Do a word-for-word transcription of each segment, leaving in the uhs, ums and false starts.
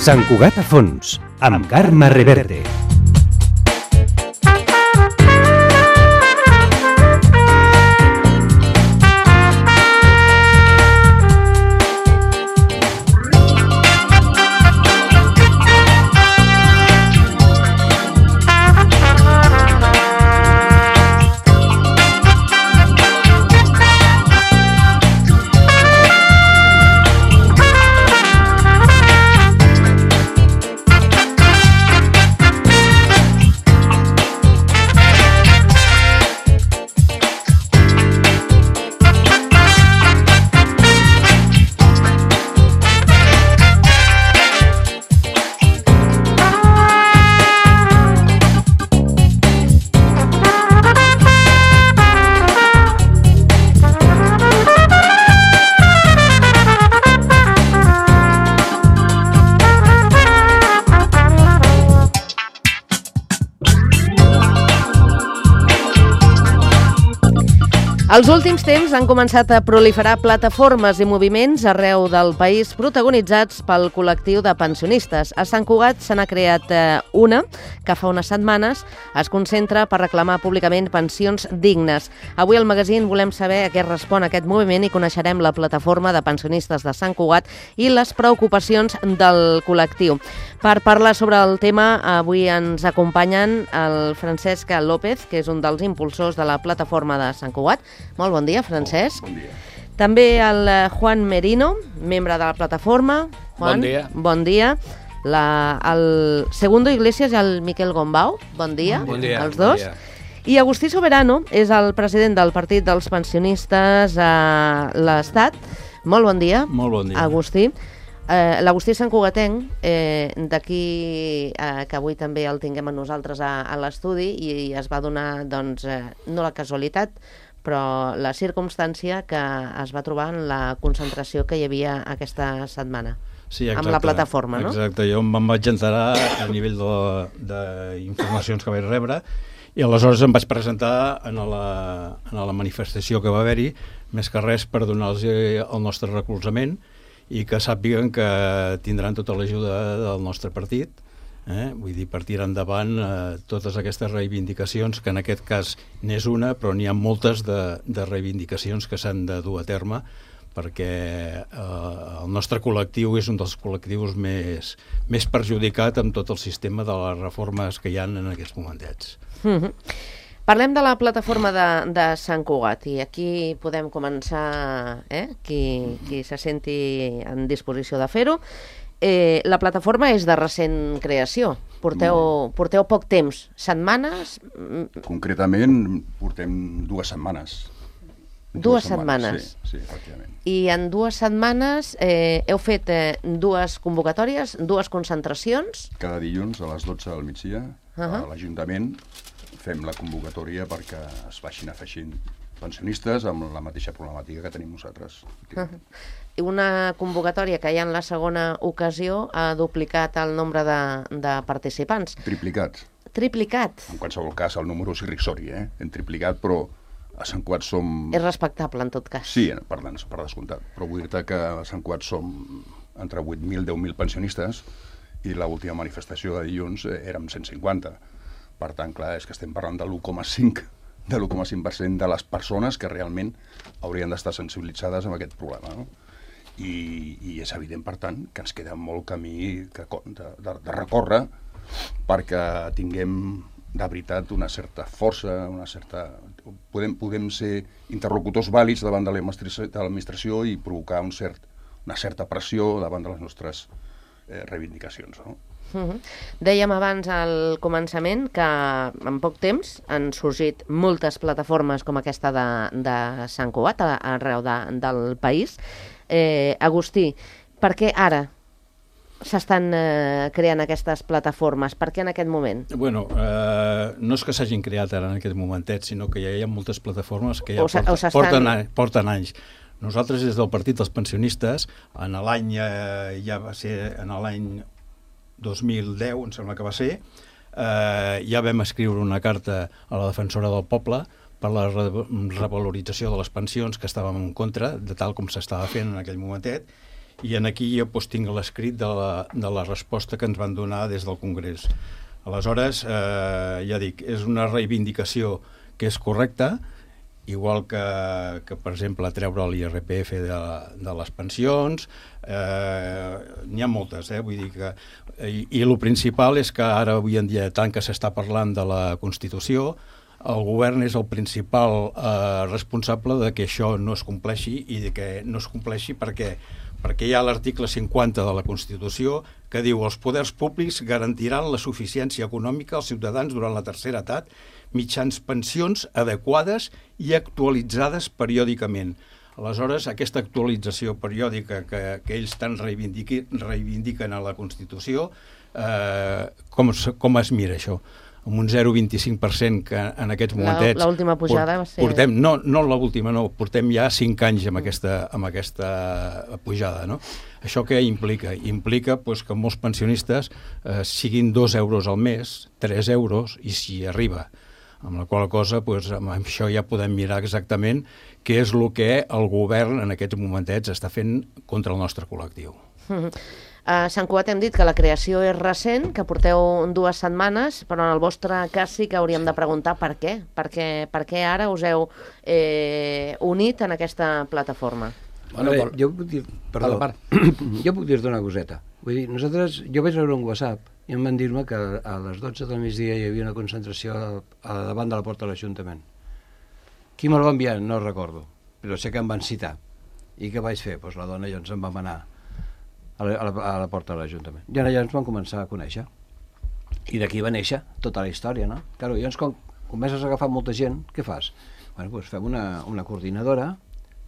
Sant Cugat a fons, amb Carme Reverte. Els últims temps han començat a proliferar plataformes i moviments arreu del país protagonitzats pel col·lectiu de pensionistes. A Sant Cugat se n'ha creat una que fa unes setmanes es concentra per reclamar públicament pensions dignes. Avui al magazín volem saber a què respon aquest moviment i coneixerem la plataforma de pensionistes de Sant Cugat i les preocupacions del col·lectiu. Per parlar sobre el tema, avui ens acompanyen el Francesc López, que és un dels impulsors de la plataforma de Sant Cugat. Molt bon dia, Francesc. Oh, bon dia. També el Juan Merino, membre de la plataforma. Juan, bon dia. Bon dia. La, el Segundo Iglesias i el Miquel Gombau. Bon dia, bon dia els dos. Bon dia. I Agustí Soberano és el president del Partit dels Pensionistes a l'Estat. Molt bon dia. Molt bon dia. Agustí. Eh, L'Agustí Santcugatenc, eh, d'aquí eh, que avui també el tinguem a nosaltres a, a l'estudi, i es va donar, doncs, eh, no la casualitat, però la circumstància que es va trobar en la concentració que hi havia aquesta setmana. Sí, exacte, amb la plataforma, no? Exacte, jo me'n vaig enterar a nivell d'informacions que vaig rebre i aleshores em vaig presentar en la, en la manifestació que va haver-hi, més que res per donar-los el nostre recolzament i que sàpiguen que tindran tota l'ajuda del nostre partit, eh? Vull dir, per tirar endavant eh, totes aquestes reivindicacions, que en aquest cas n'és una, però n'hi ha moltes de, de reivindicacions que s'han de dur a terme, perquè eh, el nostre col·lectiu és un dels col·lectius més, més perjudicat amb tot el sistema de les reformes que hi ha en aquests momentets. Mm-hmm. Parlem de la plataforma de, de Sant Cugat i aquí podem començar, eh? qui, qui se senti en disposició de fer-ho. Eh, la plataforma és de recent creació, porteu, porteu poc temps, setmanes? Concretament portem dues setmanes. Dues, dues setmanes? setmanes. Sí, sí, efectivament. I en dues setmanes eh, heu fet eh, dues convocatòries, dues concentracions? Cada dilluns a les dotze del migdia uh -huh. a l'Ajuntament fem la convocatòria perquè es vagin afegint pensionistes amb la mateixa problemàtica que tenim nosaltres. Uh-huh. I una convocatòria que ja en la segona ocasió ha duplicat el nombre de, de participants. Triplicat. Triplicat. En qualsevol cas, el número és irrisori, eh? Hem triplicat, però a Sant Cugat som... És respectable, en tot cas. Sí, per, per descomptat. Però vull dir-te que a Sant Cugat som entre vuit mil i deu mil pensionistes i l'última manifestació de dilluns eh, érem cent cinquanta. Per tant, clar, és que estem parlant de l'u coma cinc de l'u coma cinc per cent de les persones que realment haurien d'estar sensibilitzades amb aquest problema, no? I, i és evident, per tant, que ens queda molt camí que, de, de, de recórrer perquè tinguem de veritat una certa força, una certa... Podem, podem ser interlocutors vàlids davant de l'administració i provocar un cert, una certa pressió davant de les nostres eh, reivindicacions, no? Uh-huh. Dèiem abans al començament que en poc temps han sorgit moltes plataformes com aquesta de, de Sant Cugat arreu de, del país. Eh, Agustí, per què ara s'estan eh, creant aquestes plataformes? Per què en aquest moment? Bueno, eh, no és que s'hagin creat ara en aquest momentet, sinó que ja hi ha moltes plataformes que ja o porten, o estan... porten, porten anys. Nosaltres, des del Partit dels Pensionistes, en l'any, eh, ja va ser en l'any dos mil deu, em sembla que va ser, eh, ja vam escriure una carta a la defensora del poble per la revalorització de les pensions, que estàvem en contra, de tal com s'estava fent en aquell momentet, i en aquí jo doncs, tinc l'escrit de, la, de la resposta que ens van donar des del Congrés. Aleshores, eh, ja dic, és una reivindicació que és correcta, igual que, que per exemple, treure l'I R P F de, de les pensions, eh, n'hi ha moltes, eh? Vull dir que... I, i el principal és que ara, avui en dia, tant que s'està parlant de la Constitució, el govern és el principal eh, responsable de que això no es compleixi i de que no es compleixi perquè, perquè hi ha l'article cinquanta de la Constitució que diu els poders públics garantiran la suficiència econòmica als ciutadans durant la tercera edat mitjans pensions adequades i actualitzades periòdicament. Aleshores, aquesta actualització periòdica que, que ells tant reivindiquen a la Constitució, eh, com, com es mira això? Amb un zero coma vint-i-cinc per cent que en aquests momentets... L'última pujada va ser... Portem, no, no l'última, no, portem ja cinc anys amb aquesta, amb aquesta pujada, no? Això què implica? Implica pues, que molts pensionistes eh, siguin dos euros al mes, tres euros, i si arriba. Amb la qual cosa, pues, amb això ja podem mirar exactament què és el que el govern en aquests momentets està fent contra el nostre col·lectiu. Mm-hmm. A Sant Cugat hem dit que la creació és recent, que porteu dues setmanes, però en el vostre cas sí que hauríem de preguntar per què. Per què, per què ara us heu eh, unit en aquesta plataforma? Bueno, veure, jo puc dir... Perdó, part, part. Jo puc dir-te una coseta. Vull dir, nosaltres... Jo vaig veure un WhatsApp i em van dir-me que a les dotze del migdia hi havia una concentració a davant de la porta de l'Ajuntament. Qui me'l va enviar? No recordo, però sé que em van citar. I què vaig fer? Doncs la dona i ens en vam anar a la, a la, a la porta de l'Ajuntament. I allà ens vam començar a conèixer. I d'aquí va néixer tota la història, no? Claro, llavors, quan comences a agafar molta gent, què fas? Bueno, doncs fem una, una coordinadora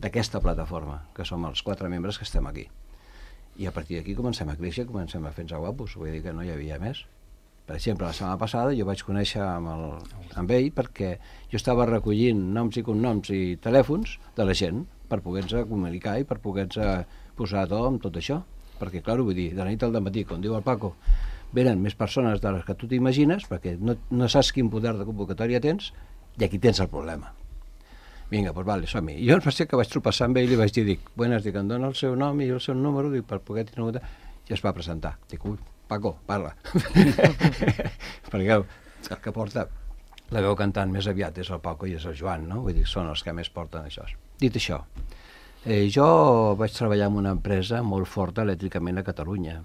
d'aquesta plataforma, que som els quatre membres que estem aquí. I a partir d'aquí comencem a créixer, comencem a fer-nos guapos, vull dir que no hi havia més. Per exemple, la setmana passada jo vaig conèixer amb, el, amb ell perquè jo estava recollint noms i cognoms i telèfons de la gent per poder-nos comunicar i per poder-nos posar a to amb tot això. Perquè, clar, vull dir, de la nit al dematí, com diu el Paco, venen més persones de les que tu t'imagines perquè no, no saps quin poder de convocatòria tens i aquí tens el problema. Vinga, doncs vale, som-hi. I jo em va ser que vaig tropeçar amb ell i li vaig dir, dic, buenas, dic, em dona el seu nom i el seu número, dic, per poder tenir una... I es va presentar. Dic, ui, Paco, parla. Perquè el que porta la veu cantant més aviat és el Paco i és el Joan, no? Vull dir, són els que més porten això. Dit això, eh, jo vaig treballar en una empresa molt forta elèctricament a Catalunya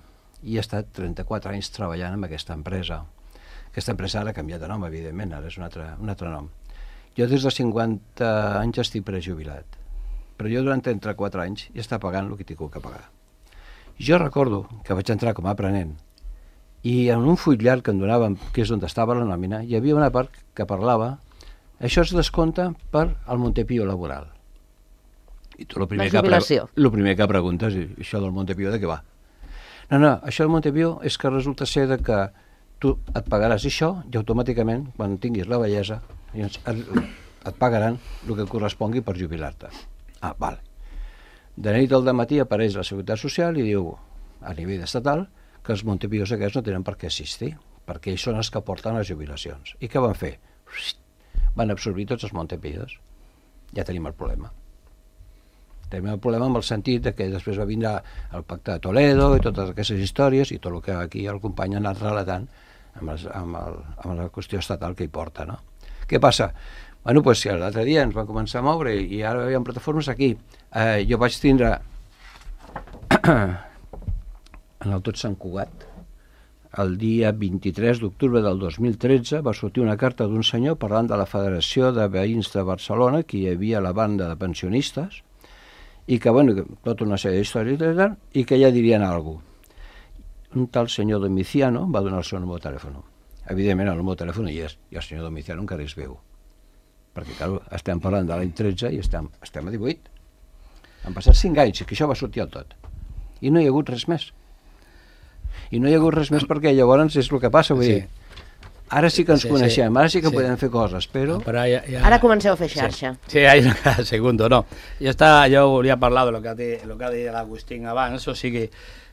i he estat trenta-quatre anys treballant amb aquesta empresa. Aquesta empresa ara ha canviat de nom, evidentment, ara és un altre, un altre nom. Jo des de cinquanta anys estic prejubilat, però jo durant trenta-quatre anys ja està pagant el que tinc que pagar. Jo recordo que vaig entrar com a aprenent i en un full llarg que em donaven, que és on estava la nòmina, hi havia una part que parlava això es descompta per al Montepío laboral. I tu el primer, que, pre el primer que preguntes és això del Montepío de què va? No, no, això del Montepío és que resulta ser de que tu et pagaràs això i automàticament, quan tinguis la vellesa, et pagaran el que correspongui per jubilar-te. Ah, vale. De nit al dematí apareix la Seguretat Social i diu, a nivell estatal, que els Montepíos aquests no tenen per què assistir, perquè ells són els que porten les jubilacions. I què van fer? Van absorbir tots els Montepíos. Ja tenim el problema. Tenim el problema amb el sentit que després va vindre el pacte de Toledo i totes aquestes històries i tot el que aquí el company ha anat relatant amb, els, amb, el, amb la qüestió estatal que hi porta, no? Què passa? Bueno, doncs si l'altre dia ens van començar a moure i ara hi ha plataformes aquí. Eh, jo vaig tindre en el Tot Sant Cugat el dia vint-i-tres d'octubre del dos mil tretze va sortir una carta d'un senyor parlant de la Federació de Veïns de Barcelona, que hi havia la banda de pensionistes i que, bueno, tota una sèrie d'històries i que ja dirien alguna cosa. Un tal senyor Domiciano va donar el seu número de telèfon. Evidentment, el número de telèfon hi és, i el senyor Domiciano encara és veu. Perquè, clar, estem parlant de l'any tretze i estem, estem a divuit. Han passat cinc anys, que això va sortir al tot. I no hi ha hagut res més. I no hi ha hagut res més perquè llavors és el que passa, vull dir, ara sí que ens sí, coneixem, ara sí que sí. podem fer coses, però... però ja, ja... Ara comenceu a fer xarxa. Sí, sí hay un segundo, no. Jo, està, jo volia parlar de lo que ha dit, lo que ha dit l'Agustín abans, o sigui,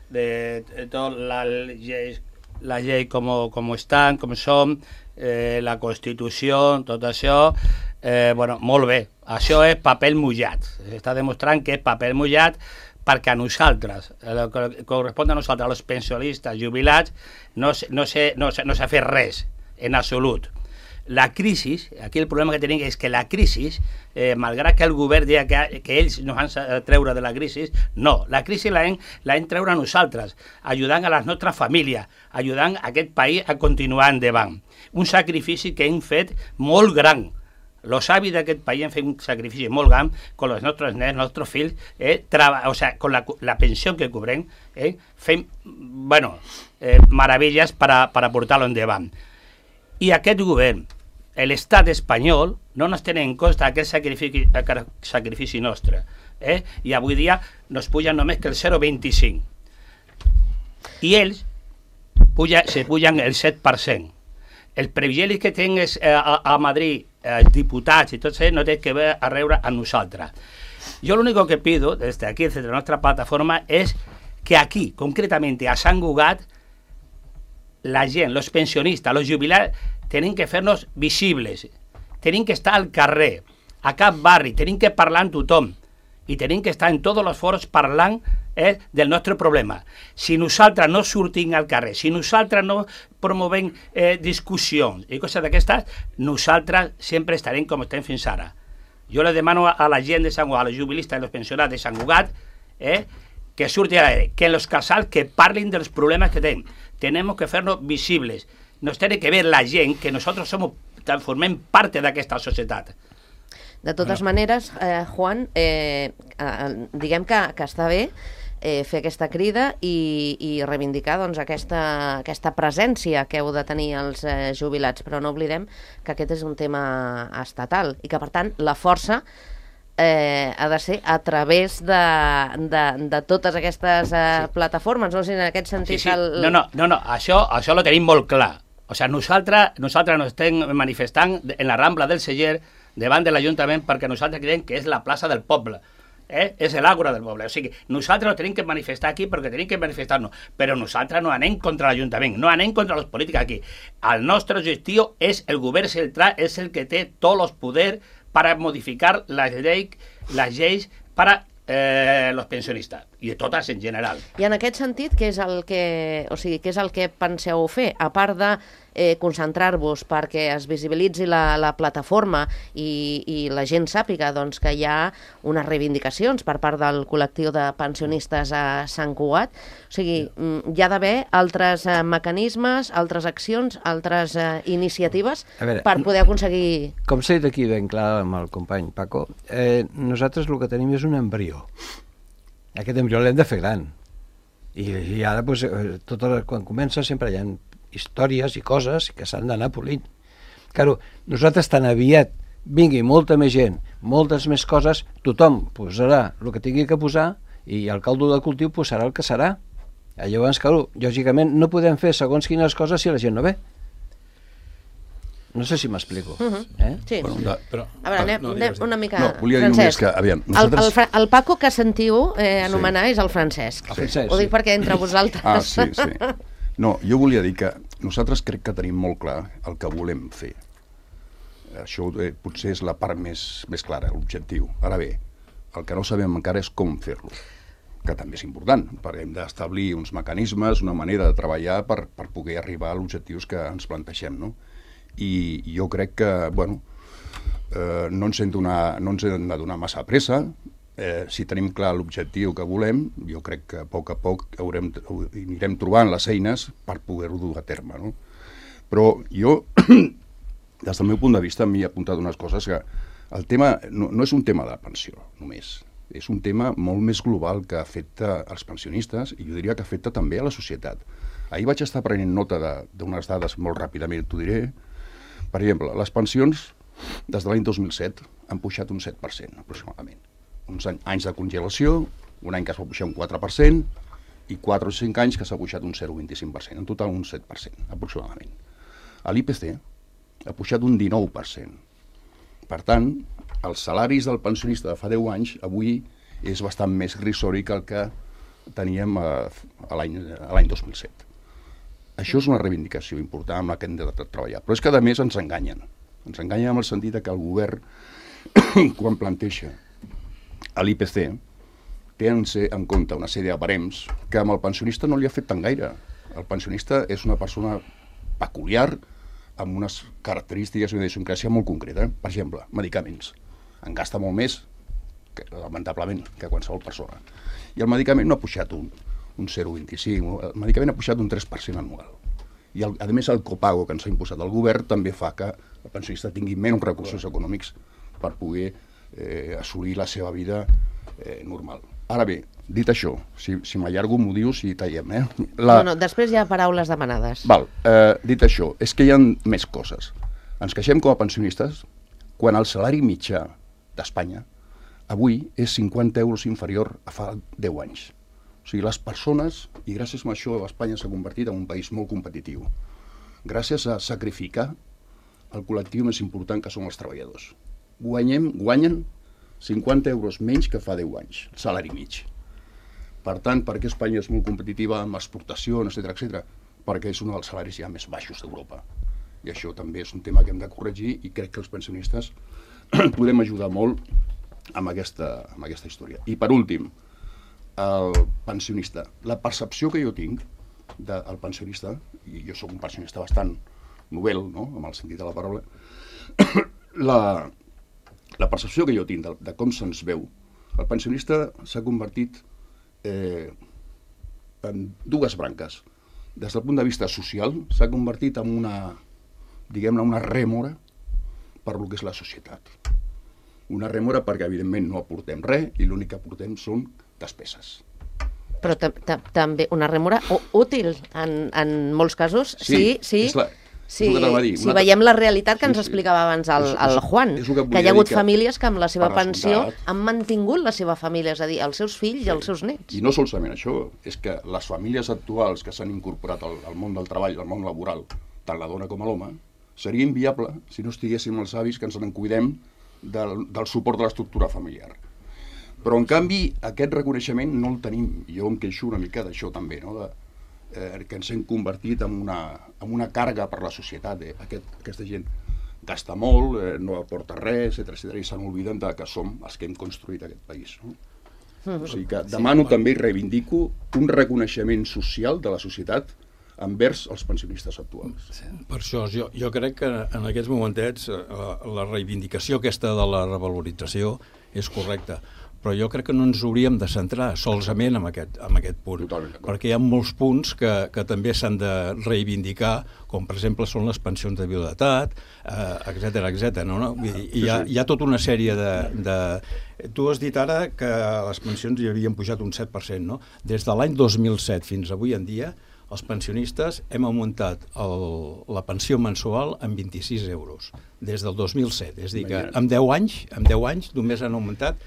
de, de tot la llei, la llei com, com estan, com som, eh, la Constitució, tot això, eh, bueno, molt bé. Això és paper mullat. S'està demostrant que és paper mullat perquè a nosaltres, el que correspon a nosaltres, als pensionistes jubilats, no s'ha no no no fet res, en absolut. La crisi, aquí el problema que tenim és que la crisi, eh, malgrat que el govern diu que, que ells no han de treure de la crisi, no, la crisi la hem, la hem treure a nosaltres, ajudant a les nostres famílies, ajudant a aquest país a continuar endavant. Un sacrifici que hem fet molt gran. Els avis d'aquest país han fet un sacrifici molt gran con els nostres nens, els nostres fills, eh, o sea, con la, la pensió que cobrem, eh, fem, bueno, eh, meravelles per a, per a portar-lo endavant. I aquest govern, l'estat espanyol, no ens tenen en compte aquest sacrifici, aquest sacrifici nostre. Eh? I avui dia nos pujan només que el zero coma vint-i-cinc. I ells puja, se pujan el set per cent. Els privilegis que tenen eh, a, a Madrid, els diputats i tot això, no té que veure a reure a nosaltres. Jo l'únic que pido, desde aquí, desde la nostra plataforma, és que aquí, concretamente a Sant Cugat, la gent, los pensionistas, los jubilats, tenen que fer-nos visibles, tenen que estar al carrer, a cap barri, tenen que parlar amb tothom, i tenen que estar en tots els foros parlant eh, del nostre problema. Si nosaltres no sortim al carrer, si nosaltres no promovem eh, discussions i coses d'aquestes, nosaltres sempre estarem com estem fins ara. Jo le demano a la gent de Sant Cugat, als jubilistes i als pensionats de Sant Cugat, eh, que surti a l'aire, que en los casals que parlin dels problemes que tenim. Tenemos que fer-nos visibles. Nos tiene que ver la gent que nosotros somos, formem parte d'aquesta societat. De totes bueno. maneres, eh, Juan, eh, eh, diguem que, que està bé eh, fer aquesta crida i, i reivindicar doncs, aquesta, aquesta presència que heu de tenir els eh, jubilats, però no oblidem que aquest és un tema estatal i que, per tant, la força eh, ha de ser a través de, de, de totes aquestes eh, sí. plataformes. No sé si en aquest sentit... Sí, sí. El... No, no, no, no. Això, això ho tenim molt clar. O sigui, nosaltres, nosaltres nos estem manifestant en la Rambla del Celler davant de l'Ajuntament perquè nosaltres creiem que és la plaça del poble. Eh? És l'àgora del poble. O sigui, nosaltres no tenim que manifestar aquí perquè tenim que manifestar-nos, però nosaltres no anem contra l'Ajuntament, no anem contra els polítics aquí. El nostre objectiu és el govern central, és el que té tots els poders per modificar les lleis, les lleis per a eh, els pensionistes, i de totes en general. I en aquest sentit, què és el que, o sigui, què és el que penseu fer? A part de eh, concentrar-vos perquè es visibilitzi la, la plataforma i, i la gent sàpiga doncs, que hi ha unes reivindicacions per part del col·lectiu de pensionistes a Sant Cugat. O sigui, hi ha d'haver altres eh, mecanismes, altres accions, altres eh, iniciatives veure, per poder aconseguir... Com s'ha dit aquí ben clar amb el company Paco, eh, nosaltres el que tenim és un embrió. Aquest embrió l'hem de fer gran. I, i ara, doncs, tot el, quan comença, sempre hi ha històries i coses que s'han d'anar polint. Claro, nosaltres tan aviat vingui molta més gent, moltes més coses, tothom posarà el que tingui que posar i el caldo de cultiu posarà el que serà. Llavors, claro, lògicament no podem fer segons quines coses si la gent no ve. No sé si m'explico. Uh -huh. eh? Sí. Bueno, de, però, a veure, anem, no, anem una mica... No, volia dir només que, aviam, nosaltres... el, el, el Paco que sentiu eh, anomenar sí. és el Francesc. El Francesc, Ho dic sí. perquè entre vosaltres... Ah, sí, sí. No, jo volia dir que nosaltres crec que tenim molt clar el que volem fer. Això eh, potser és la part més, més clara, l'objectiu. Ara bé, el que no sabem encara és com fer-lo, que també és important, perquè hem d'establir uns mecanismes, una manera de treballar per, per poder arribar a objectius que ens plantegem, no? I jo crec que, bueno, eh, no ens hem, donar, no ens hem de donar massa pressa. Eh, si tenim clar l'objectiu que volem, jo crec que a poc a poc haurem, anirem trobant les eines per poder-ho dur a terme, no? Però jo, des del meu punt de vista, m'hi he apuntat unes coses que el tema no, no és un tema de pensió, només. És un tema molt més global que afecta els pensionistes i jo diria que afecta també a la societat. Ahir vaig estar prenent nota d'unes dades molt ràpidament, t'ho diré. Per exemple, les pensions des de l'any dos mil set han pujat un set per cent, aproximadament. Uns anys de congelació, un any que es va pujar un quatre per cent i quatre o cinc anys que s'ha pujat un zero coma vint-i-cinc per cent, en total un set per cent, aproximadament. L'I P C ha pujat un dinou per cent. Per tant, els salaris del pensionista de fa deu anys avui és bastant més risori que el que teníem a, a l'any dos mil set. Això és una reivindicació important amb la que hem de treballar. Però és que, a més, ens enganyen. Ens enganyen en el sentit que el govern, quan planteja l'I P C, tenen en compte una sèrie de barems que amb el pensionista no li ha fet tan gaire. El pensionista és una persona peculiar, amb unes característiques i una idiosincràsia molt concreta. Per exemple, medicaments. En gasta molt més, que, lamentablement, que qualsevol persona. I el medicament no ha pujat un, un zero coma vint-i-cinc, el medicament ha pujat un tres per cent anual. I, el, a més, el copago que ens ha imposat el govern també fa que el pensionista tingui menys recursos econòmics per poder eh, assolir la seva vida eh, normal. Ara bé, dit això, si, si m'allargo m'ho dius i tallem, eh? La... No, no, després hi ha paraules demanades. Val, eh, dit això, és que hi ha més coses. Ens queixem com a pensionistes quan el salari mitjà d'Espanya avui és cinquanta euros inferior a fa deu anys. O sigui, les persones, i gràcies a això Espanya s'ha convertit en un país molt competitiu, gràcies a sacrificar el col·lectiu més important que són els treballadors. Guanyem, guanyen cinquanta euros menys que fa deu anys, salari mig. Per tant, per què Espanya és molt competitiva amb exportacions, etcètera, etcètera? Perquè és un dels salaris ja més baixos d'Europa. I això també és un tema que hem de corregir i crec que els pensionistes podem ajudar molt amb aquesta, amb aquesta història. I per últim, el pensionista. La percepció que jo tinc del pensionista, i jo sóc un pensionista bastant novel, no?, amb el sentit de la paraula, la, la percepció que jo tinc de, de com se'ns veu, el pensionista s'ha convertit eh, en dues branques. Des del punt de vista social, s'ha convertit en una, diguem-ne, una rèmora per lo que és la societat. Una rèmora perquè, evidentment, no aportem res i l'únic que aportem són despeses. Però també una rèmora útil en, en molts casos. Sí, sí. sí. La, sí, si veiem la realitat que sí, ens explicava abans el, el Juan, és, és que, que hi ha hagut que famílies que amb la seva pensió han mantingut la seva família, és a dir, els seus fills sí. i els seus nets. I no solament això, és que les famílies actuals que s'han incorporat al, al món del treball, al món laboral, tant la dona com l'home, seria inviable si no estiguéssim els avis que ens en cuidem del, del suport de l'estructura familiar. Però, en canvi, aquest reconeixement no el tenim. Jo em queixo una mica d'això també, no? de, eh, que ens hem convertit en una, en una càrrega per la societat. Eh? Aquest, aquesta gent gasta molt, eh, no aporta res, etcètera, etcètera, i se n'obliden que som els que hem construït aquest país. No? Mm-hmm. O sigui que demano sí, també i reivindico un reconeixement social de la societat envers els pensionistes actuals. Per això, jo, jo crec que en aquests momentets la, la reivindicació aquesta de la revalorització és correcta, però jo crec que no ens hauríem de centrar solament en aquest, en aquest punt, perquè hi ha molts punts que, que també s'han de reivindicar, com per exemple són les pensions de viudetat, eh, etcètera, etcètera. No? No? I, hi, ha, hi ha tota una sèrie de, de... Tu has dit ara que les pensions hi havien pujat un set per cent, no? Des de l'any dos mil set fins avui en dia, els pensionistes hem augmentat el, la pensió mensual en vint-i-sis euros, des del dos mil set. És a dir, que en deu anys, en deu anys només han augmentat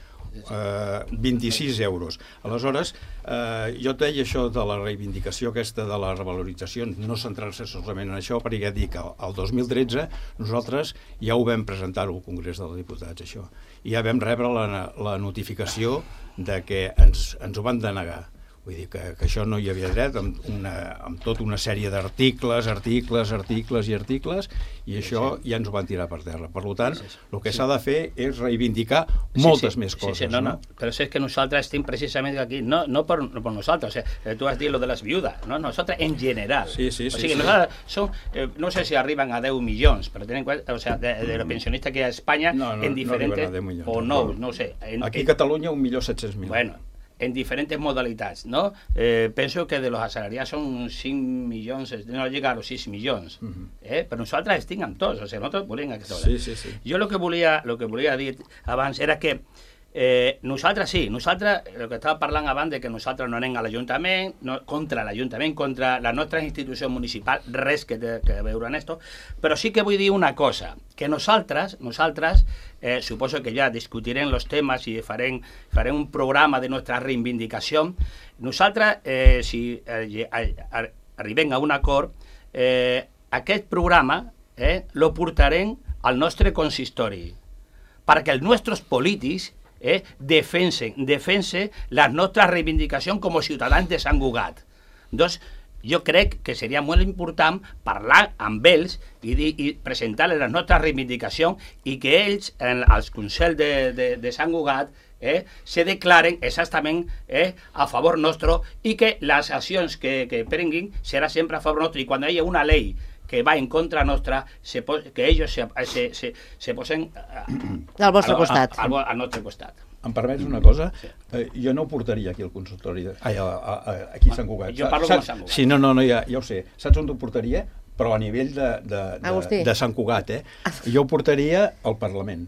eh, vint-i-sis euros. Aleshores, eh, jo et deia això de la reivindicació aquesta de la revalorització, no centrar-se solament en això, perquè ja dic que el dos mil tretze nosaltres ja ho vam presentar al Congrés dels Diputats, això. I ja vam rebre la, la notificació de que ens, ens ho van denegar. Vull dir que, que això no hi havia dret, amb, una, amb tota una sèrie d'articles, articles, articles i articles, i això sí, sí. ja ens ho van tirar per terra. Per tant, sí, sí, sí. el que sí. s'ha de fer és reivindicar moltes sí, sí. més coses. Sí, sí, no, no. no. Però és que nosaltres estem precisament aquí, no, no per, per nosaltres, o sea, tu has dit lo de les viudes, no? Nosaltres en general. Sí, sí, sí, o sigui, sí. nosaltres som, eh, no sé si arriben a deu milions, però tenen en cuenta, o sea, de, de los pensionistas que hi ha a Espanya no, no, en diferentes, no milions, o no, no, no sé. En, aquí a en, Catalunya un milió set-cents mil. Bueno, en diferentes modalitats, ¿no? Eh, penso que de los asalariados son cinc milions, no llega a los sis milions, uh-huh. eh? Però nosaltres estem amb tots, o sigui, nosaltres volem aquesta hora. Sí, sí, sí. Jo el que volia, lo que volia dir abans era que eh, nosaltres sí, nosaltres, el que estava parlant abans de que nosaltres no anem a l'Ajuntament, no, contra l'Ajuntament, contra la nostra institució municipal, res que té que veure en esto, però sí que vull dir una cosa, que nosaltres, nosaltres eh, suposo que ja discutirem els temes i farem, farem un programa de nostra reivindicació. Nosaltres, eh, si eh, arribem a un acord, eh, aquest programa eh, lo portarem al nostre consistori, perquè els nostres polítics Eh, defensen, defensen la nostra reivindicació com a ciutadans de Sant Cugat. Doncs, jo crec que seria molt important parlar amb ells i, dir, i presentar-les les nostres reivindicacions i que ells, en, als Consells de, de, de Sant Cugat, eh, se declaren exactament eh, a favor nostre i que les accions que, que prenguin serà sempre a favor nostre, i quan hi ha una llei que va en contra nostra, se pos, que ells se, se, se, se posen uh, al vostre costat. Al, al, al nostre costat. Em permets una cosa? Sí. Eh, jo no ho portaria aquí al consultori, de, ai, a, a, a, aquí a Sant Cugat. Jo parlo com a Sant Cugat. Sí, no, no, no ja, ja ho sé. Saps on ho portaria? Però a nivell de, de, de, de Sant Cugat, eh? Jo ho portaria al Parlament.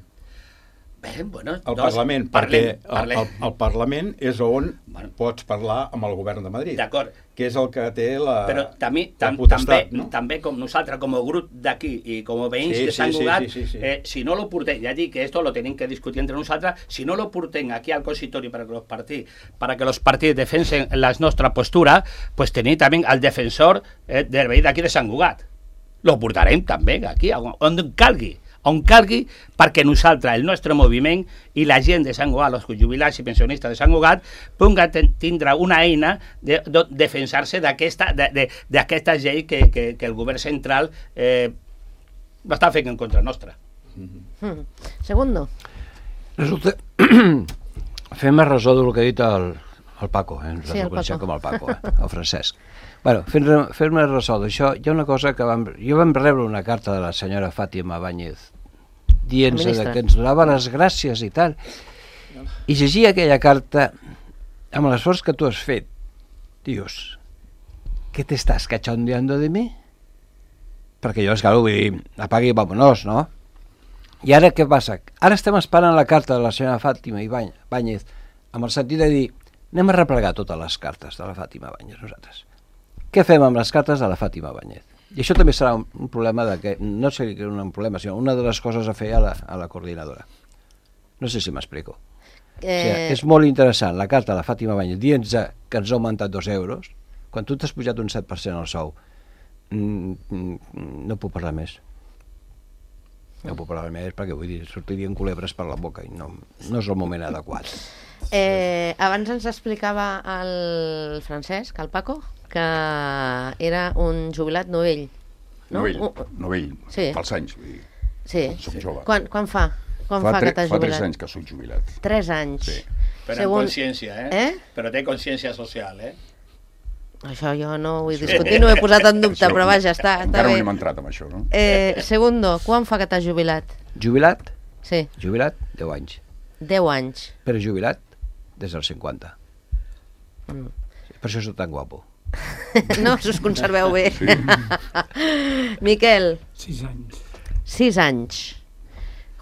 Bé, bueno, al doncs, Parlament, parlem, perquè parlem. El, el, el Parlament és on bueno. pots parlar amb el govern de Madrid. D'acord. Que és el que té la, Però també, la tam, potestat, també, no? també com nosaltres, com a grup d'aquí i com a veïns Sí, de Sant sí, Cugat, sí, sí, sí, sí. Eh, si no lo portem, ja dic que esto lo tenim que discutir entre nosaltres, si no lo portem aquí al consistorio para que los partidos, para que los partidos defensen la nostra postura, pues tenim també el defensor eh, del veí d'aquí de Sant Cugat. Lo portarem també aquí, on, on calgui. on calgui, perquè nosaltres, el nostre moviment i la gent de Sant Cugat, els jubilats i pensionistes de Sant Cugat, pugui tindre una eina de, de defensar-se d'aquesta de, de, d'aquesta llei que, que, que el govern central eh, l'està fent en contra nostra. Mm. Segundo. Resulta... Fem a resó del que ha dit el, el Paco, eh? Ens sí, el coneixem Paco. com el Paco, eh? El Francesc. Bueno, fent-me fent ressò d'això, hi ha una cosa que vam... Jo vam rebre una carta de la senyora Fàtima Báñez dient-se que ens donava les gràcies i tal, i llegia aquella carta amb l'esforç que tu has fet. Dius, ¿qué te estás cachondeando de mi? Perquè jo, esclar, vull dir, apagui i vámonos, no? I ara què passa? Ara estem esperant la carta de la senyora Fàtima Báñez amb el sentit de dir, anem a replegar totes les cartes de la Fàtima Báñez nosaltres. Què fem amb les cartes de la Fàtima Báñez? I això també serà un, un problema de que, no sé que és un problema, sinó una de les coses a fer a la, a la coordinadora. No sé si m'explico. Eh... O sigui, és molt interessant la carta de la Fàtima Báñez dient-nos que ens ha augmentat dos euros, quan tu t'has pujat un set per cent al sou. Mm, mm, no puc parlar més. No puc parlar més perquè, vull dir, sortirien culebres per la boca i no, no és el moment adequat. Eh, abans ens explicava el Francesc, el Paco, que era un jubilat novell. No? Novell, uh, novell, sí. pels anys, vull dir. Sí. Som jove. Quan, quan fa? Quan fa, fa, fa tre, que t'has fa jubilat? tres anys que soc jubilat. Tres anys. Sí. Però Segon... amb consciència, eh? eh? Però té consciència social, eh? Això jo no ho vull discutir, no ho he posat en dubte, però vaja, està, està encara bé. no hem entrat amb això, no? Eh, segundo, quan fa que t'has jubilat? Jubilat? Sí. Jubilat, deu anys. Deu anys. Però jubilat des dels cinquanta. Mm. Per això soc tan guapo. No, si us conserveu bé. Sí. Miquel. Sis anys. Sis anys.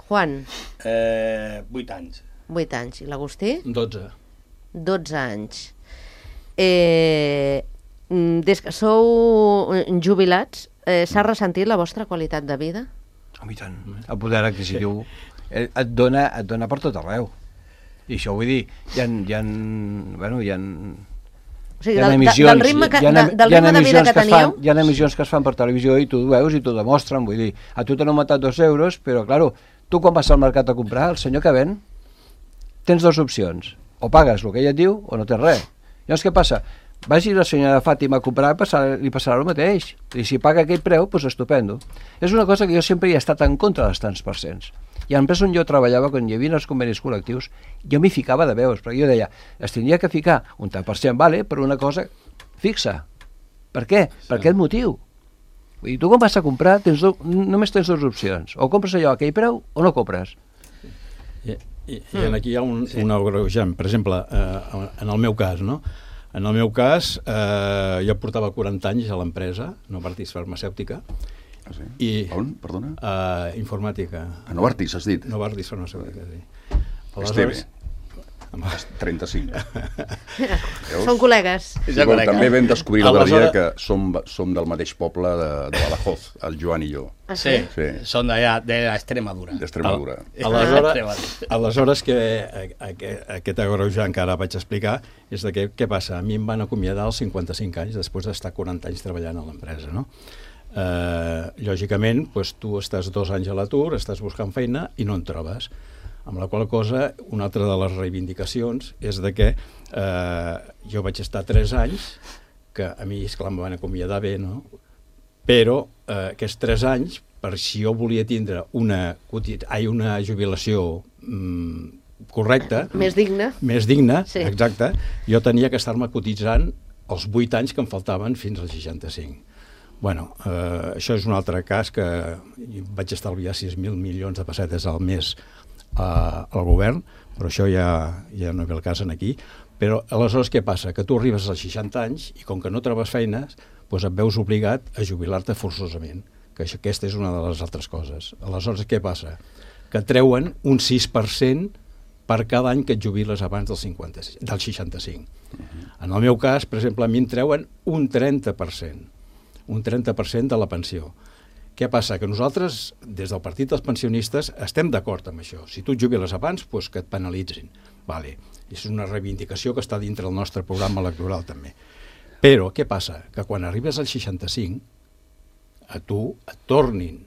Juan. Eh, vuit anys. Vuit anys. I l'Agustí? Dotze. Dotze anys. Eh, des que sou jubilats, eh, s'ha ressentit la vostra qualitat de vida? A mi tant. El poder adquisitiu et dona, et dona per tot arreu. I això vull dir, hi ha, hi ha, bueno, hi ha, O sigui, hi ha del, emissions, del ritme, que, hi ha, de, del hi ha ritme de vida que emissions que es teníeu? fan, hi ha emissions que es fan per televisió i tu ho veus i t'ho demostren, vull dir, a tu t'han augmentat dos euros, però, claro, tu quan vas al mercat a comprar, el senyor que ven, tens dues opcions, o pagues el que ella et diu o no tens res. Llavors què passa? Vagi la senyora Fàtima a comprar, passar, li passarà el mateix, i si paga aquell preu, doncs estupendo. És una cosa que jo sempre hi he estat en contra dels tants per cents. I a l'empresa on jo treballava, quan hi havia els convenis col·lectius, jo m'hi ficava de veus, perquè jo deia, es tindria que ficar un tant per cent, vale, per una cosa fixa. Per què? Sí. Per aquest motiu. Vull dir, tu quan vas a comprar, tens do, només tens dues opcions. O compres allò a aquell preu o no compres. I, i, i aquí hi ha un, sí. un agreujant. Per exemple, eh, en el meu cas, no? En el meu cas, eh, jo portava quaranta anys a l'empresa, Novartis Farmacèutica. Ah, sí? I, on, perdona? Uh, informàtica. A Novartis, has dit? Novartis Farmacèutica, sí. Esteve. trenta-cinc. Són col·legues. Sí, bueno, també vam descobrir l'altre dia Aleshores... que som, som del mateix poble de, de Badajoz, el Joan i jo. Ah, sí? Sí, Sí. són d'allà, de l'Extremadura. D'Extremadura. Aleshores, aleshores que aquest, aquest agreujant que ara vaig explicar és de què, què passa? A mi em van acomiadar als cinquanta-cinc anys després d'estar quaranta anys treballant a l'empresa, no? Eh, lògicament, doncs, tu estàs dos anys a l'atur, estàs buscant feina i no en trobes. Amb la qual cosa, una altra de les reivindicacions és de que eh, jo vaig estar tres anys que a mi, esclar, em van acomiadar bé, no? Però eh, aquests tres anys, per si jo volia tindre una, ai, una jubilació mm, correcta... Més digna. Més digna, sí. Exacte. Jo tenia que estar-me cotitzant els vuit anys que em faltaven fins als seixanta-cinc. Bueno, eh, això és un altre cas que vaig estalviar sis mil milions de pessetes al mes eh, al govern, però això ja, ja no ve el cas aquí. Però aleshores què passa? Que tu arribes als seixanta anys i com que no trobes feines, doncs et veus obligat a jubilar-te forçosament, que això, aquesta és una de les altres coses. Aleshores què passa? Que treuen un sis per cent per cada any que et jubiles abans del, cinquanta, del seixanta-cinc. Uh-huh. En el meu cas, per exemple, a mi em treuen un trenta per cent, un trenta per cent de la pensió. Què passa? Que nosaltres, des del Partit dels Pensionistes, estem d'acord amb això. Si tu et jubiles abans, doncs que et penalitzin. Vale. És una reivindicació que està dintre del nostre programa electoral, també. Però què passa? Que quan arribes al seixanta-cinc, a tu et tornin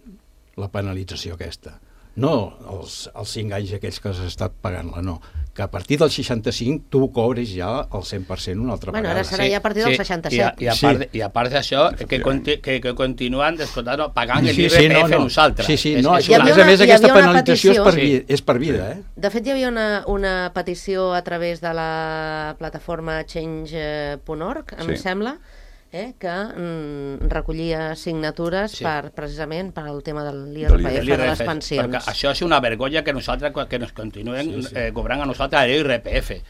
la penalització aquesta. No els, els cinc anys aquells que has estat pagant-la, no. Que a partir del seixanta-cinc tu cobres ja el cent per cent una altra bueno, vegada. Ara serà sí, ja a partir del sí, seixanta-set. I a, i a part, sí. I a part d'això, que, conti, que, que continuen descomptant, pagant sí, l'I R P F sí, no, no. nosaltres. Sí, sí, no, és, és, una, a més aquesta penalització petició, és per, vi, és per vida. Eh? De fet, hi havia una, una petició a través de la plataforma change punt org, em sí. sembla, eh, que mm, recollia signatures sí. per, precisament per al tema de l'I R P F de, de les pensions. Perquè això és una vergonya que nosaltres que nos continuen sí, sí. Eh, cobrant a nosaltres l'I R P F.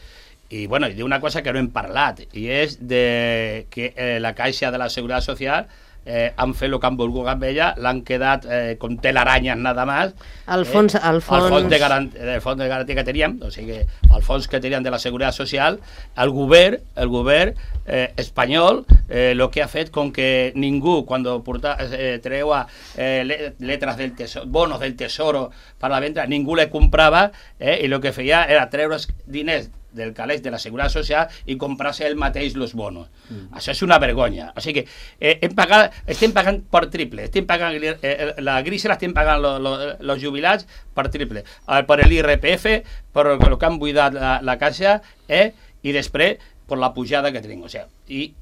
I bueno, i d'una cosa que no hem parlat, i és de que eh, la Caixa de la Seguretat Social eh, han fet el que han volgut amb ella, l'han quedat eh, com telaranyes nada más. El fons, eh, el fons... El fons de, garant, el fons de garantia que teníem, o sigui, el fons que teníem de la Seguretat Social, el govern, el govern eh, espanyol, eh, lo que ha fet com que ningú, quan porta, eh, treua eh, letras del tesoro, bonos del tesoro per la venda, ningú le comprava, eh, i el que feia era treure diners del calés de la Seguretat Social i comprar-se el mateix els bonos. Mm. Això és una vergonya. O sigui que eh, hem pagat, estem pagant per triple. Estem pagant, eh, la grisa l'estem pagant els jubilats per triple. Eh, per l'I R P F, per el que han buidat la, la caixa, eh, i després per la pujada que tenim. O sigui, i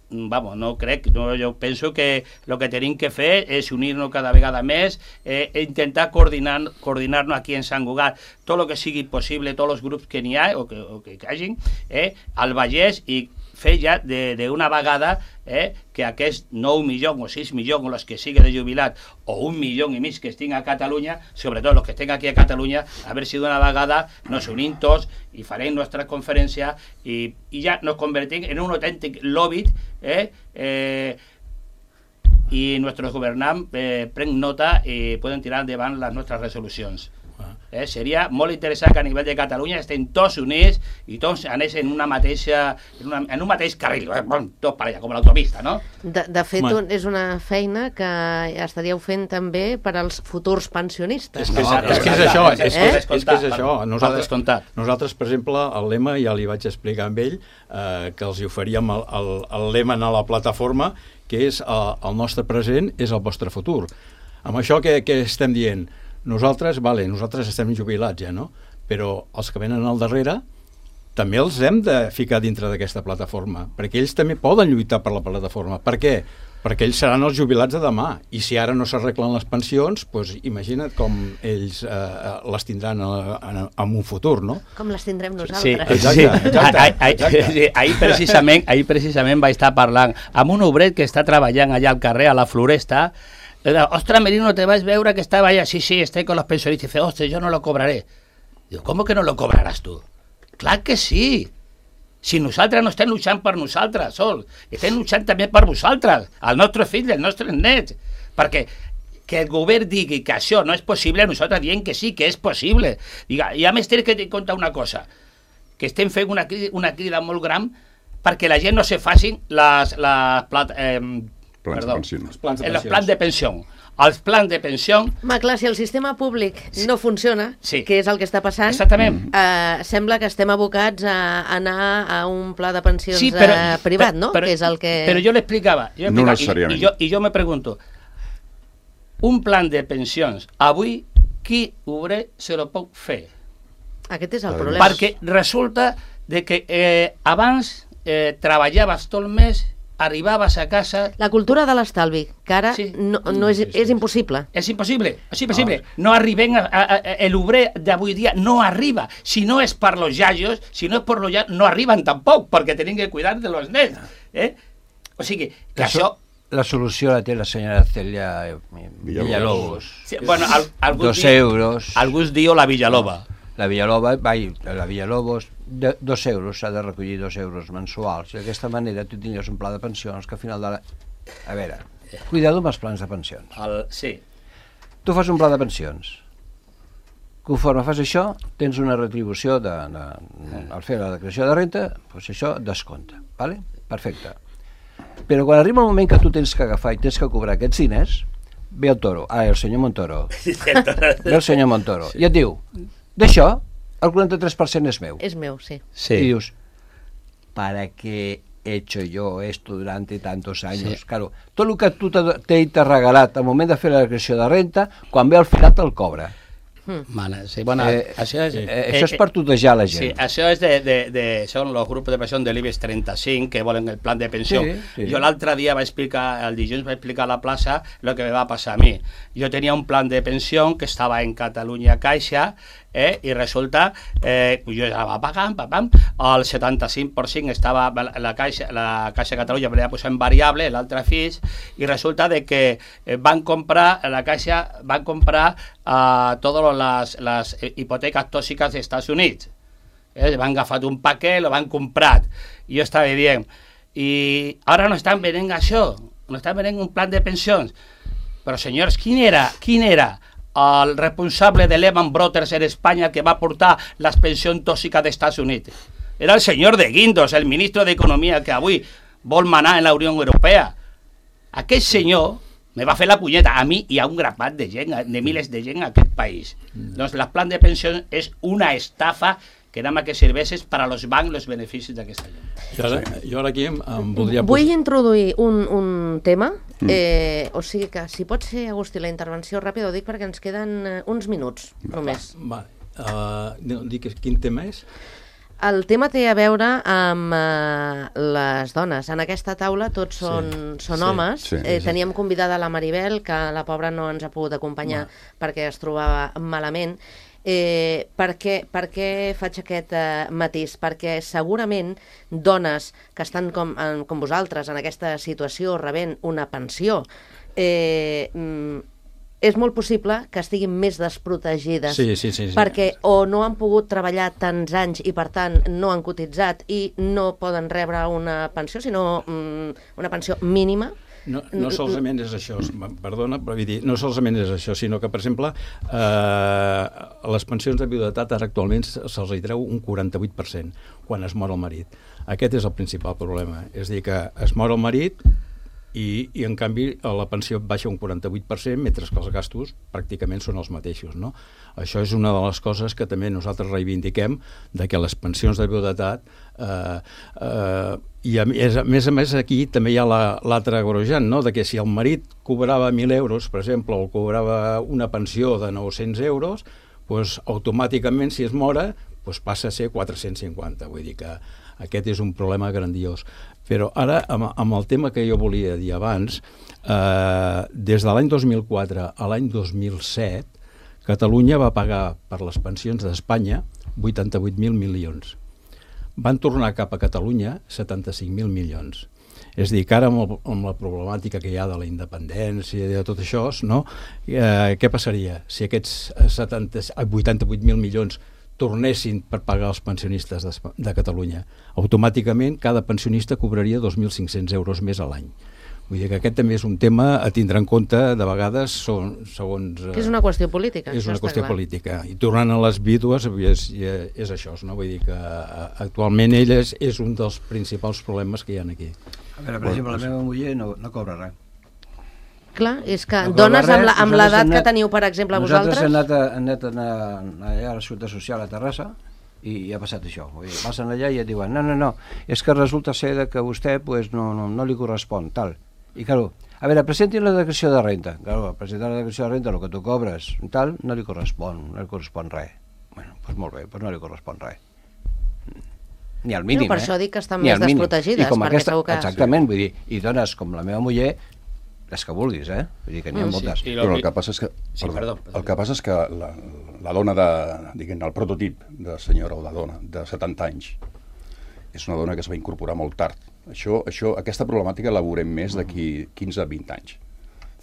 vamos, no crec, no, jo penso que el que tenim que fer és unir-nos cada vegada més, eh, intentar coordinar, coordinar-nos aquí en Sant Cugat, tot el que sigui possible, tots els grups que n'hi ha o que, o que hagin, eh, al Vallès, i fer ja d'una vegada eh, que aquests nou milions o sis milions o els que sigui de jubilat o un milió i mig que estic a Catalunya, sobretot els que estic aquí a Catalunya, a veure si d'una vegada nos unim tots i farem nostra conferència i, i ja nos convertim en un autèntic lobby eh, eh, i nostres governants eh, pren nota i poden tirar endavant les nostres resolucions. Eh, seria molt interessant que a nivell de Catalunya estem tots units i tots anéssim en una mateixa en, una, en un mateix carril, eh, tot per allà, com l'autopista, no? De, de fet, un, és una feina que estaríeu fent també per als futurs pensionistes. És que és, no, és, que és això, és, eh? és, és, és, que és això. Nosaltres, nosaltres, per exemple, el lema, ja li vaig explicar amb ell, eh, que els hi oferíem el, el, el lema a la plataforma, que és el, el nostre present és el vostre futur. Amb això què, què estem dient? Nosaltres, vale, nosaltres estem jubilats ja, no? Però els que venen al darrere també els hem de ficar dintre d'aquesta plataforma, perquè ells també poden lluitar per la plataforma. Per què? Perquè ells seran els jubilats de demà, i si ara no s'arreglen les pensions, doncs imagina't com ells eh, les tindran a, a, en un futur, no? Com les tindrem nosaltres. Sí, exacte, exacte, exacte. Sí, ahir, precisament, ahir precisament vaig estar parlant amb un obret que està treballant allà al carrer, a la Floresta. Ostras, Merino, te vas a veure que estaba allá. Sí, sí, estoy con los pensionistas. Y dice, ostras, yo no lo cobraré. Digo, ¿cómo que no lo cobrarás tú? Clar que sí. Si nosaltres no estem luchant per nosaltres sols, estem luchant també per vosaltres, el nostre fill, els nostres nets. Perquè que el govern digui que això no és possible, nosaltres diem que sí, que és possible. Diga, i a més, tinc que contar una cosa, que estem fent una, una crida molt gran perquè la gent no se facin les... les plat, eh, Plans Perdó, de pensions. Els plans de els pensions. plans de pensió. Els plans de pensió... Home, clar, si el sistema públic no funciona, sí. que és el que està passant, exactament. Eh, sembla que estem abocats a anar a un pla de pensions sí, però, eh, privat, no? Però, que és el que... però jo l'explicava. No necessàriament. I, i, jo, I jo me pregunto, un plan de pensions, avui, qui obre se lo pot fer? Aquest és el problema. Perquè resulta de que eh, abans eh, treballaves tot el mes arribaves a casa... La cultura de l'estalvi, que ara Sí. no, no és, és impossible. És impossible, és impossible. No arriben, a, a, a, l'obrer d'avui dia no arriba. Si no és per los yayos, si no és per los yayos, no arriben tampoc, perquè tenen que cuidar de los nens. Eh? O sigui, que La, això... la solució la té la senyora Celia Villalobos. Sí, bueno, al, algú Dos di- euros. Algú diu la Villaloba. La Villaloba, vai, la Villalobos, de, dos euros, s'ha de recollir dos euros mensuals. I d'aquesta manera tu tindries un pla de pensions que al final de la... A veure, cuidado amb els plans de pensions. El, sí. Tu fas un pla de pensions. Conforme fas això, tens una retribució de, de, al fer la declaració de renta, doncs això descompta, vale? Perfecte. Però quan arriba el moment que tu tens que agafar i tens que cobrar aquests diners, ve el toro, ah, el senyor Montoro, ve el senyor Montoro, sí. I et diu, d'això, el quaranta-tres per cent és meu. És meu, sí. Sí. Y dius, ¿para qué he hecho yo esto durante tantos años? Sí. Claro, tot el que tu t'he regalat al moment de fer la declaració de renta, quan ve al final te'l cobra. Vale, sí, bueno, Eh, això és... eh, això és per tutejar la gent. Sí, això és de, de, de, són els grups de pensió de l'IBEX trenta-cinc que volen el plan de pensió. Sí, sí. Jo l'altre dia vaig explicar, el dilluns vaig explicar a la plaça el que me va passar a mi. Jo tenia un plan de pensió que estava en Catalunya Caixa, eh, i resulta, eh, jo estava pagant, pam, el setanta-cinc per cent estava la Caixa, la Caixa de Catalunya me l'ha posat en variable, l'altre fix, i resulta de que van comprar, la Caixa van comprar uh, totes les, les hipoteques tòxiques dels Estats Units. Eh, van agafat un paquet, lo van comprat. I jo estava dient, i ara no estan venent això, no estan venent un plan de pensions. Però senyors, quin era, quin era el responsable de Lehman Brothers en Espanya que va portar les pensions tòxiques dels Estats Units? Era el senyor de Guindos, el ministre d'Economia que avui vol manar en la Unió Europea. Aquest senyor me va fer la punyeta a mi i a un grapat de gent, de milers de gent en aquest país. Doncs el plan de pensions és una estafa que nada más que serveixes per a los bancs els beneficis d'aquesta gent. Jo ara, jo ara aquí em, em voldria... Vull posar- introduir un, un tema, eh, o sigui que si pot ser, Agustí, la intervenció ràpida, ho dic perquè ens queden eh, uns minuts només. Va, uh, dic quin tema és? El tema té a veure amb eh, les dones. En aquesta taula tots són, Sí, són sí, homes. sí, eh, sí. teníem convidada la Maribel, que la pobra no ens ha pogut acompanyar perquè es trobava malament. Eh, per, què, per què faig aquest eh, matís? Perquè segurament dones que estan com, en, com vosaltres en aquesta situació rebent una pensió, eh, mm, és molt possible que estiguin més desprotegides Sí, sí, sí, sí. perquè o no han pogut treballar tants anys i per tant no han cotitzat i no poden rebre una pensió, sinó mm, una pensió mínima. No, no solament és això, perdona, però vull dir, no solament és això, sinó que, per exemple, eh, les pensions de viudetat ara actualment se'ls hi treu un quaranta-vuit per cent quan es mor el marit. Aquest és el principal problema. És a dir, que es mor el marit i, i en canvi, la pensió baixa un quaranta-vuit per cent, mentre que els gastos pràcticament són els mateixos, no? Això és una de les coses que també nosaltres reivindiquem, de que les pensions de viudetat eh, eh, i a més, a més a més aquí també hi ha l'altre agreujant, no? De que si el marit cobrava mil euros, per exemple, o cobrava una pensió de nou-cents euros, doncs automàticament, si es mora, doncs passa a ser quatre-cents cinquanta. Vull dir que aquest és un problema grandiós. Però ara, amb, amb el tema que jo volia dir abans, eh, des de l'any dos mil quatre a l'any dos mil set, Catalunya va pagar per les pensions d'Espanya vuitanta-vuit mil milions. Van tornar cap a Catalunya setanta-cinc mil milions. És a dir, que ara amb, el, amb la problemàtica que hi ha de la independència i de tot això, no? eh, què passaria si aquests setanta, vuitanta-vuit mil milions tornessin per pagar els pensionistes de, de Catalunya? Automàticament cada pensionista cobraria dos mil cinc-cents euros més a l'any. Vull dir que aquest també és un tema a tindre en compte, de vegades, són, segons... Que és una qüestió política. És això una està qüestió clar. política. I tornant a les vídues, és, és això, no? Vull dir que actualment ell és, és un dels principals problemes que hi ha aquí. A veure, per exemple, la meva muller no, no cobra res. Clar, és que No dones cobra amb res, la- amb nosaltres l'edat hem que anat- teniu, per exemple, Nosaltres vosaltres... hem anat, a, hem anat a anar allà a la Ciutat Social a Terrassa i, i ha passat això. Vull dir, passen allà i et diuen, no, no, no, és que resulta ser que a vostè pues, no, no, no li correspon, tal. I, claro, a veure, presentin la declaració de renta. Claro, presentar la declaració de renta, el que tu cobres, tal, no li correspon, no li correspon res. Bueno, doncs molt bé, doncs no li correspon res. ni al mínim. No, per eh? això dic que estan Ni més al mínim. desprotegides, I com perquè aquesta, segur que... exactament, vull dir, i dones com la meva muller, les que vulguis, eh? Vull dir que n'hi ha Mm, sí. moltes. I Però el que passa és que, Sí, perdó, perdó. el que, passa és que la, la dona de, diguem, el prototip de senyora o de dona de setanta anys és una dona que es va incorporar molt tard. Això, això, aquesta problemàtica la veurem més d'aquí quinze a vint anys.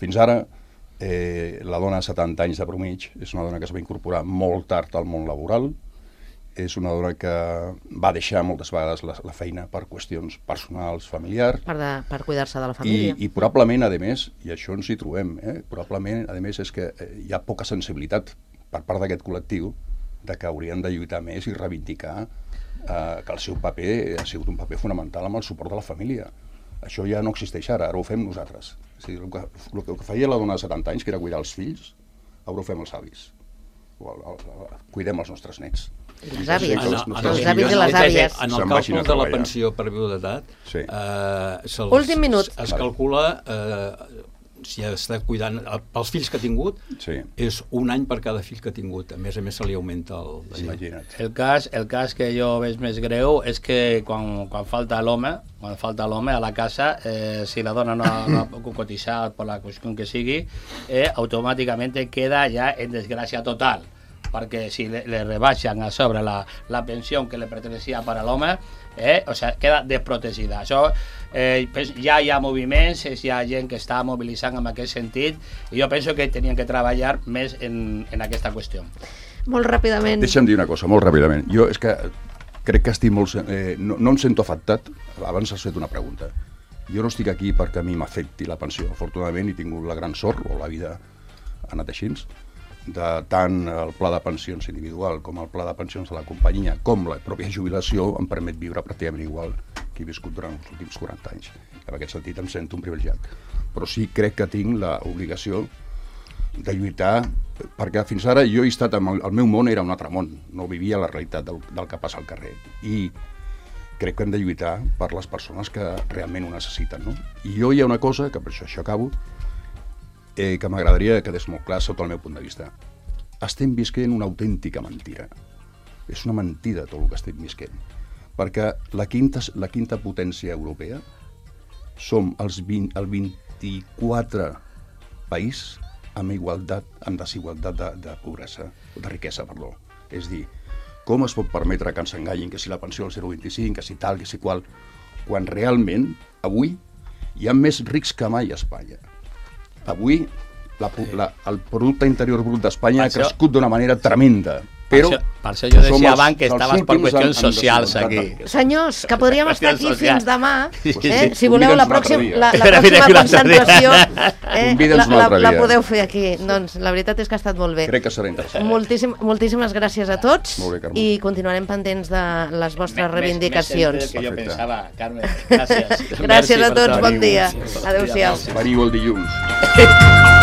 Fins ara, eh, la dona de setanta anys de promig és una dona que es va incorporar molt tard al món laboral, és una dona que va deixar moltes vegades la, la feina per qüestions personals, familiars, Per, de, per cuidar-se de la i, família. i probablement, a més, i això ens hi trobem, eh? probablement, a més, és que eh, hi ha poca sensibilitat per part d'aquest col·lectiu de que haurien de lluitar més i reivindicar eh, que el seu paper ha sigut un paper fonamental amb el suport de la família. Això ja no existeix ara, ara ho fem nosaltres. És a dir, el que, el que feia la dona de setanta anys, que era cuidar els fills, ara ho fem els avis. O el, el, el, cuidem els nostres nets. I les àvies, Sí, els, els- els els- avis i les àvies. En el Se'n vagin càlcul a de la treballar. pensió per viudetat, Sí. eh, se'ls- Últim minut. es calcula, eh, si està cuidant, eh, pels fills que ha tingut, Sí. és un any per cada fill que ha tingut. A més a més, se li augmenta el... Imagina't. El cas, el cas que jo veig més greu és que quan, quan falta l'home, quan falta l'home a la casa, eh, si la dona no, no ha pogut cotitzar per la qüestió que sigui, eh, automàticament queda ja en desgràcia total, perquè si le, le rebaixen a sobre la, la pensió que le pertenecía per a l'home, eh, o sea, queda desprotegida. Això, eh, ja hi ha moviments, hi ha gent que està mobilitzant en aquest sentit, i jo penso que tenien que treballar més en, en aquesta qüestió. Molt ràpidament. Deixa'm dir una cosa, molt ràpidament. Jo és que crec que estic molt... Eh, no, no em sento afectat. Abans has fet una pregunta. Jo no estic aquí perquè a mi m'afecti la pensió. Afortunadament he tingut la gran sort, o la vida ha anat així, de tant el pla de pensions individual com el pla de pensions de la companyia, com la pròpia jubilació, em permet viure pràcticament igual que he viscut durant els últims quaranta anys. En aquest sentit em sento un privilegiat. Però sí crec que tinc l'obligació de lluitar, perquè fins ara jo he estat, amb el, el meu món era un altre món, no vivia la realitat del, del que passa al carrer, i crec que hem de lluitar per les persones que realment ho necessiten, no? I jo hi ha una cosa, que per això, això acabo, eh, que m'agradaria que quedés molt clar sota el meu punt de vista. Estem visquent una autèntica mentira. És una mentida tot el que estem visquent. Perquè la quinta, la quinta potència europea som els vint, el vint-i-quatre país amb igualtat, amb desigualtat de, de pobresa, de riquesa, perdó. És dir, com es pot permetre que ens enganyin que si la pensió al zero coma vint-i-cinc, que si tal, que si qual, quan realment, avui, hi ha més rics que mai a Espanya. Avui, la, la, el producte interior brut d'Espanya ha això- crescut d'una manera tremenda. Però per, això, per això jo som decía els- abans que els estaves per últims qüestions en- en socials desigualtat aquí. de- Senyors, que podríem estar aquí Social. fins demà, Sí, sí, eh? sí. Si voleu la Convida'ns un altre pròxima, dia. la, la Mira, mira pròxima que un altre dia. concentració eh, Convida'ns la, un la, altre la dia. podeu fer aquí. Doncs la veritat és que ha estat molt bé. Crec que serà interessant. Moltíssim, moltíssimes gràcies a tots Molt bé, Carme. i continuarem pendents de les vostres Més- reivindicacions. Més, més que jo Perfecte. pensava, Carme. Gràcies. Gràcies Merci a per tots, tot. bon dia. Adéu-siau. Veniu el dilluns.